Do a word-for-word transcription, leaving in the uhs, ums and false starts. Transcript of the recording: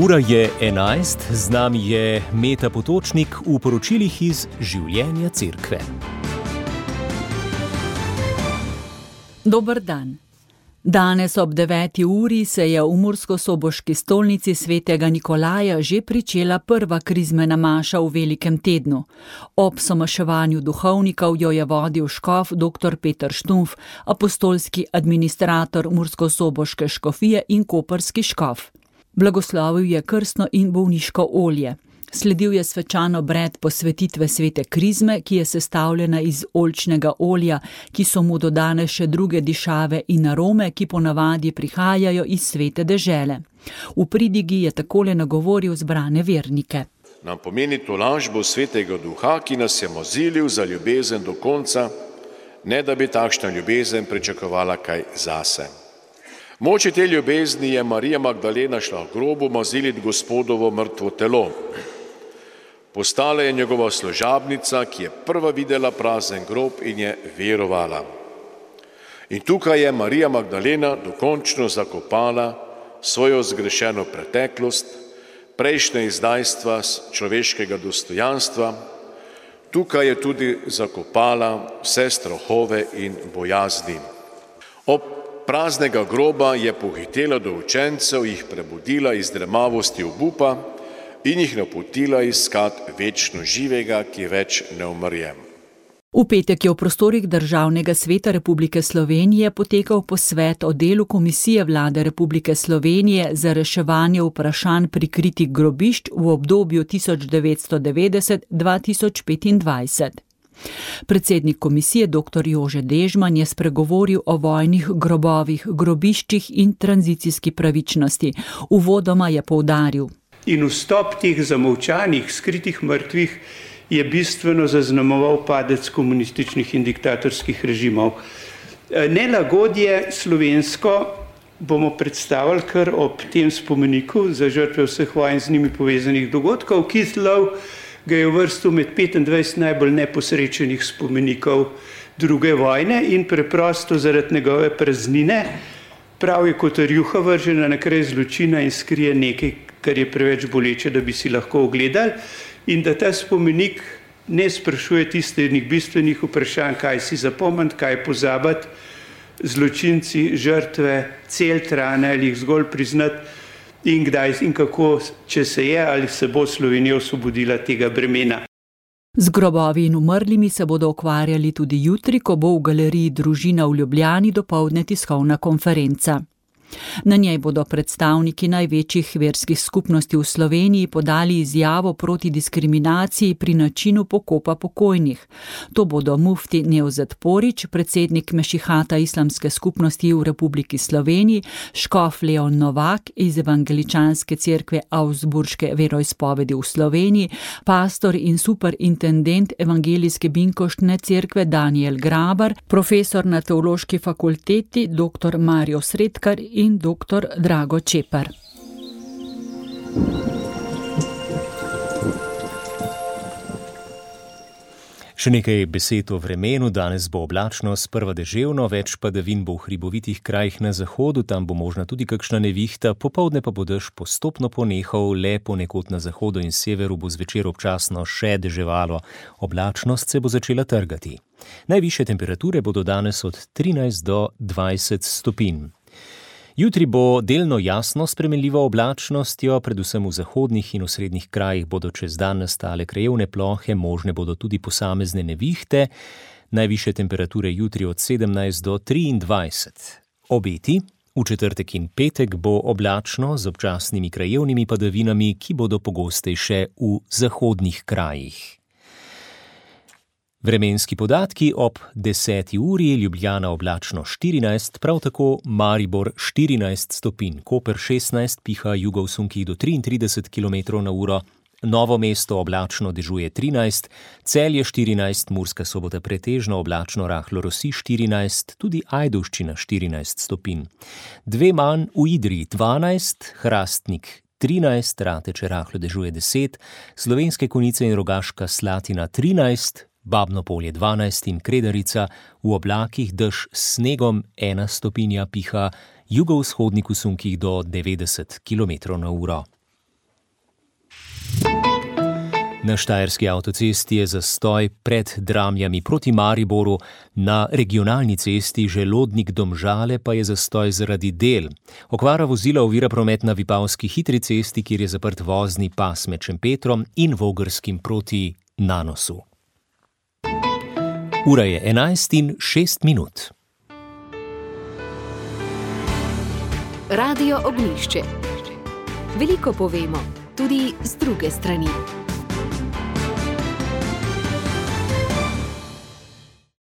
Ura je enajst, z nami je Meta Potočnik v poročilih iz življenja cerkve. Dober dan. Danes ob deveti uri se je v murskosoboški stolnici svetega Nikolaja že pričela prva krizmena maša v velikem tednu. Ob somaševanju duhovnikov jo je vodil škof dr. Peter Štunf, apostolski administrator murskosoboške škofije in koprski škof. Blagoslovil je krstno in bolniško olje. Sledil je svečan obred posvetitve svete krizme, ki je sestavljena iz oljčnega olja, ki so mu dodane še druge dišave in arome, ki ponavadi prihajajo iz svete dežele. V pridigi je takole nagovoril zbrane vernike. Nam pomeni tolažbo svetega duha, ki nas je mozilil za ljubezen do konca, ne da bi takšna ljubezen pričakovala kaj zase. Moči te ljubezni je Marija Magdalena šla v grobu moziliti Gospodovo mrtvo telo. Postala je njegova služabnica, ki je prva videla prazen grob in je verovala. In tukaj je Marija Magdalena dokončno zakopala svojo zgrešeno preteklost, prejšnje izdajstva človeškega dostojanstva. Tukaj je tudi zakopala vse strahove in bojazni. Ob praznega groba je pohitela do učencev, jih prebudila iz dremavosti obupa in jih napotila iskat večno živega, ki več ne umrje. V petek je v prostorih Državnega sveta Republike Slovenije potekal posvet o delu Komisije Vlade Republike Slovenije za reševanje vprašanj prikritih grobišč v obdobju tisoč devetsto devetdeset do dva tisoč petindvajset. Predsednik komisije dr. Jože Dežman je spregovoril o vojnih grobovih, grobiščih in tranzicijski pravičnosti. Uvodoma je poudaril. In vstop teh zamolčanih, skritih mrtvih je bistveno zaznamoval padec komunističnih in diktatorskih režimov. Nelagodje slovensko bomo predstavili kar ob tem spomeniku za žrtve vseh vojn z njimi povezanih dogodkov, ki slov ga je uvrstil med petindvajset najbolj neposrečenih spomenikov druge vojne in preprosto zaradi njegove praznine, prav je kot rjuha vržena na kraj zločina in skrije nekaj, kar je preveč boleče, da bi si lahko ogledali, in da ta spomenik ne sprašuje tistih bistvenih vprašanj, kaj si zapomniti, kaj pozabiti, zločinci, žrtve, cel trane ali jih zgolj priznati, in kdaj in kako, če se je ali se bo Slovenija osvobodila tega bremena. Z grobovi in umrlimi se bodo ukvarjali tudi jutri, ko bo v galeriji Družina v Ljubljani dopoldne tiskovna konferenca. Na njej bodo predstavniki največjih verskih skupnosti v Sloveniji podali izjavo proti diskriminaciji pri načinu pokopa pokojnih. To bodo mufti Nevzet Porić, predsednik Mešihata islamske skupnosti v Republiki Sloveniji, škof Leon Novak iz Evangeličanske cerkve Augsburške veroizpovedi v Sloveniji, pastor in superintendent Evangelijske binkoštne cerkve Daniel Grabar, profesor na Teološki fakulteti dr. Mario Sredkar in dr. Drago Čepar. Še nekaj besed o vremenu. Danes bo oblačno, sprva deževno, več padavin bo v hribovitih krajih na zahodu, tam bo možna tudi kakšna nevihta, popoldne pa bo dež postopno ponehal, le ponekod na zahodu in severu bo zvečer občasno še deževalo. Oblačnost se bo začela trgati. Najvišje temperature bodo danes od trinajst do dvajset stopinj. Jutri bo delno jasno s spremenljivo oblačnostjo, predvsem v zahodnih in osrednjih krajih bodo čez dan nastale krajevne plohe, možne bodo tudi posamezne nevihte, najvišje temperature jutri od sedemnajst do triindvajset. Obeti: v četrtek in petek bo oblačno z občasnimi krajevnimi padavinami, ki bodo pogostejše v zahodnih krajih. Vremenski podatki ob deseti uri, Ljubljana oblačno štirinajst, prav tako Maribor štirinajst stopinj, Koper šestnajst, piha jugo v sunkih do triintrideset kilometrov na uro, Novo mesto oblačno dežuje trinajst, Celje štirinajst, Murska Sobota pretežno oblačno rahlo rosi štirinajst, tudi Ajdovščina štirinajst stopinj. Dve manj v Idriji dvanajst, Hrastnik trinajst, Rateče rahlo dežuje deset, Slovenske Konjice in Rogaška Slatina trinajst, Babno Polje dvanajst in Kredarica, v oblakih dež s snegom ena stopinja, piha jugovzhodnik v sunkih do devetdeset kilometrov na uro. Na štajerski avtocesti je zastoj pred Dramljami proti Mariboru, na regionalni cesti Želodnik-Domžale pa je zastoj zaradi del. Okvara vozila ovira promet na Vipavski hitri cesti, kjer je zaprt vozni pas med Šempetrom in Vogrskim proti Nanosu. Ura je enajst in šest minut. Radio Ognjišče. Veliko povemo, tudi z druge strani.